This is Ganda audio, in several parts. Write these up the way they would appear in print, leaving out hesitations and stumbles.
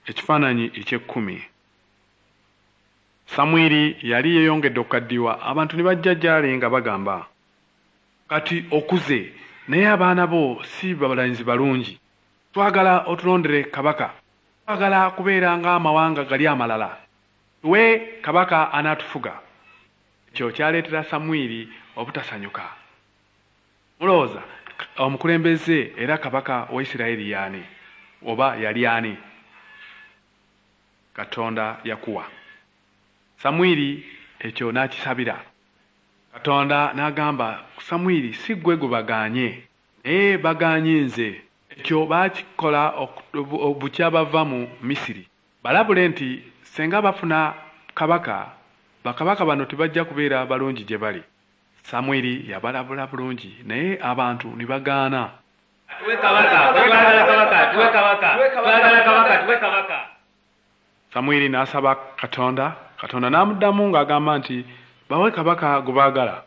Ekifaananyi eky'ekkumi. Samwiri yali yeeyongedde okukaddiwa, abantu ne bajja gy'ali nga bagamba, "Kati okuze, naye abaana bo si balanzi balungi. Twagala otulondere kabaka. Twagala kubeera ng'amawanga gali amalala. Tuwe kabaka anaatufuga." Ekyo kyaleetera Samwiri obutasanyuka. Mulowooza omukulembeze era kabaka wa Isirayiri y'ani oba yali ani? Katonda Yakuwa. Samwiri ekyo n'akisabira. Katonda n'agamba Samwiri, "Si ggwe gwe bagaanye, naye bagaanye nze. Ekyo baakikola bukya bava mu Misiri. Balabule nti singa bafuna kabaka, bakabaka bano tebajja kubeera balungi gye bali." Samwiri yabalabula bulungi naye abantu ne bagaana. Tuwe kabaka, twagala kabaka, tuwe kabaka, twagala kabaka, tuwe kabaka. Samwiri n'asaba Katonda, Katonda n'amuddamu ng'agamba nti bawe kabaka gwe baagala.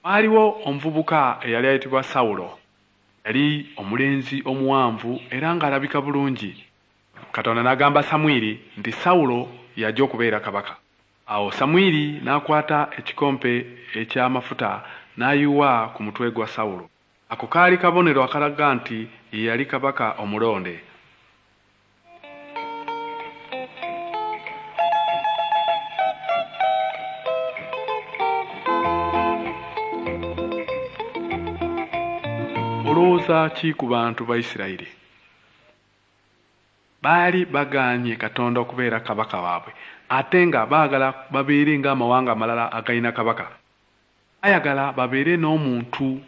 Waaliwo omuvubuka eyali ayitibwa Sawulo. Yali omulenzi omuwanvu era ng'alabika bulungi. Katonda n'agamba Samwiri nti Sawulo y'ajja okubeera kabaka. Awo Samwiri n'akwata ekikompe eky'amafuta n'ayiwa ku mutwe gwa Sawulo. Ako kaali kabonero akalaga nti ye yali kabaka omulonde. Olowooza ki ku bantu ba Isirayiri? Baali bagaanye Katonda okubeera kabaka waabwe ate nga baagala babeere ng'amawanga amalala agalina kabaka. Baayagala babeere n'omuntu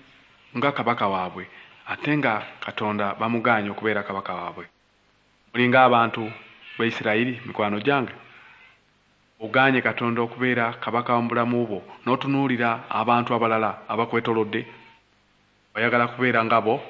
nga kabaka waabwe ate nga Katonda bamugaanye okubeera kabaka waabwe. Mulinga abantu ba Isirayiri mikwano gyange? Ogaanye Katonda okubeera kabaka mu bulamu bwo n'otunuulira abantu abalala abakwetoolodde? Oyagala kubeera nga bo?